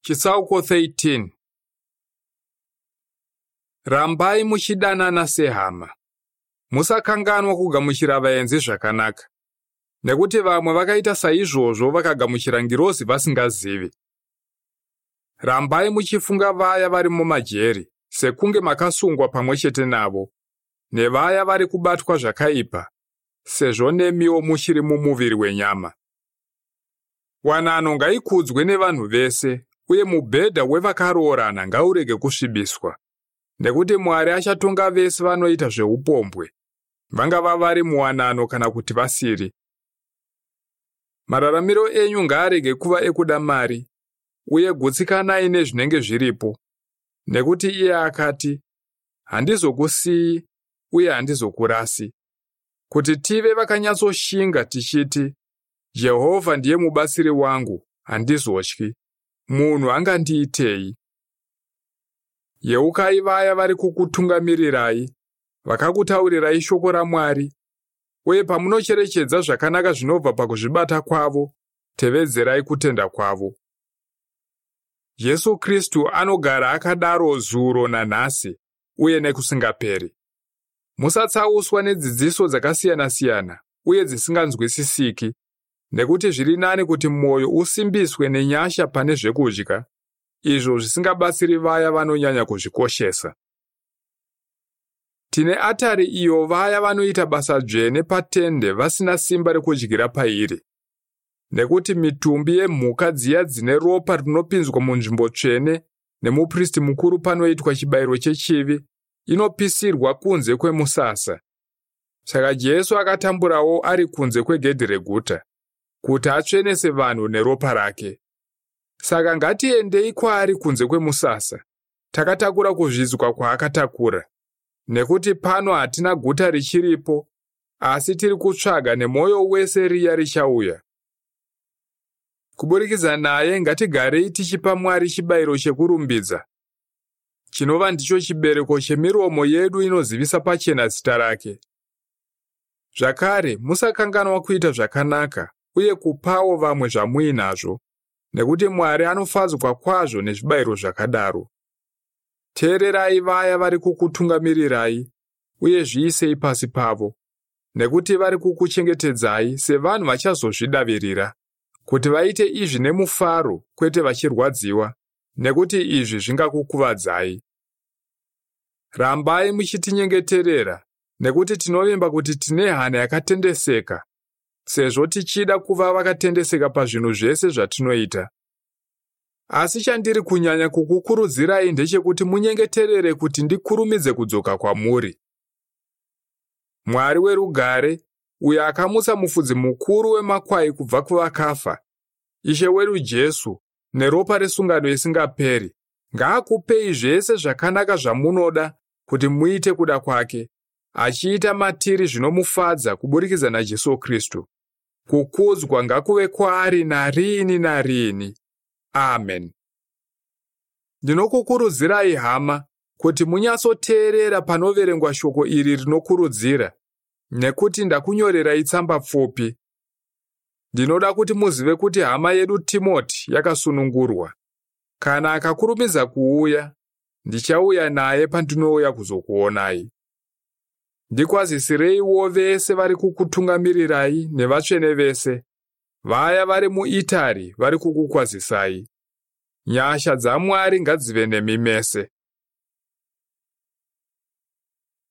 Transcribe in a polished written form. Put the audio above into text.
Chitsauko 13. Rambai muchidanana sehama. Musakanganwa kugamuchira vaenzi zvakanaka, nekuti vamwe vakaita saizvozvo vakagamuchira ngirozi vasingazivi. Rambai muchifunga vaya vari mumajeri sekunge makasungwa pamwe chete navo, nevaya vari kubatwa zvakaipa, sezvo nemiwo muchiri mumuviri wenyama. Wanano ngaikudzwe nevanhu vese, uye mubhedha wevakaroorana ngaurege kusvibiswa, nekuti Mwari achatonga vese vanoita zveupombwe, vangava vari muwanano kana kuti vasiri. Mararamiro enyu ngaarege kuva ekuda mari, uye gutsikanai nezvinenge zviripo, nekuti iye akati, "Handizokusiyi uye handizokurasi." Kuti tive vakanyatsoshinga tichiti, "Jehovha ndiye mubatsiri wangu, handizotyi. Munhu angandiitei?" Yeukai vaya vari kukutungamirirai, vakakutaurirai shoko raMwari, uye pamunocherechedza zvakanaka zvinobva pakuzvibata kwavo, tevedzerai kutenda kwavo. Jesu Kristu anogara akadaro zuro nanhasi uye nekusingaperi. Musatsauswa nedzidziso dzakasiyana-siyana uye dzisinganzwisisiki, nekuti zviri nani kuti mwoyo usimbiswe nenyasha pane zvekudya, izvo zvisingabatsiri vaya vanonyanya kuzvikoshesa. Tine atari iyo vaya vanoita basa dzvene patende vasina simba rekudyira pairi. Nekuti mitumbi yemhuka dziya dzine ropa rinopinzwa munzvimbo tsvene nemupristi mukuru panoitwa chibayiro chechivi inopisirwa kunze kwemusasa. Saka Jesu akatamburawo ari kunze kwegedhi reguta, kuti atsvenese vanhu neropa rake. Saka ngatiendei kwaari kunze kwemusasa, takatakura kuzvidzwa kwaakatakura. Nekuti pano hatina guta richiripo, asi tiri kutsvaga nemwoyo wese riya richauya. Kuburikidza naye ngatigarei tichipa Mwari chibayiro chekurumbidza, chinova ndicho chibereko chemiromo yedu inozivisa pachena zita rake. Zvakare, musakanganwa kuita zvakanaka uye kupawo vamwe zvamuinazvo, nekuti Mwari anofadzwa kwazvo nezvibayiro zvakadaro. Teererai vaya vari kukutungamirirai uye zviisei pasi pavo, nekuti vari kukuchengetedzai sevanhu vachazozvidavirira, kuti vaite izvi nemufaro kwete vachirwadziwa, nekuti izvi zvingakukuvadzai. Rambai muchitinyengeterera, nekuti tinovimba kuti tine hana yakatendeseka, sezvo tichida kuva vakatendeseka pazvinhu zvese zvatinoita. Asi chandiri kunyanya kukukurudzirai ndechekuti munyengeterere kuti ndikurumidze kudzoka kwamuri. Mwari werugare, uyo akamutsa mufudzi mukuru wemakwai kubva kuvakafa, Ishe wedu Jesu, neropa resungano isingaperi, ngaakupei zvese zvakanaka zvamunoda kuti muite kuda kwake, achiita matiri zvinomufadza kuburikidza naJesu Kristu. Kukudzwa ngakuve kwaari nariini nariini. Amen. Ndinokukurudzirai hama kuti munyatsoteerera panoverengwa shoko iri rinokurudzira, nekuti ndakunyorerai tsamba pfupi. Ndinoda kuti muzive kuti hama yedu Timoti yakasunungurwa. Kana akakurumidza kuuya, ndichauya naye pandinouya kuzokuonai. Ndikwazisireiwo vese vari kukutungamirirai nevatsvene vese. Vaya vari muItari vari kukukwazisai. Nyasha dzaMwari ngadzive nemi mese.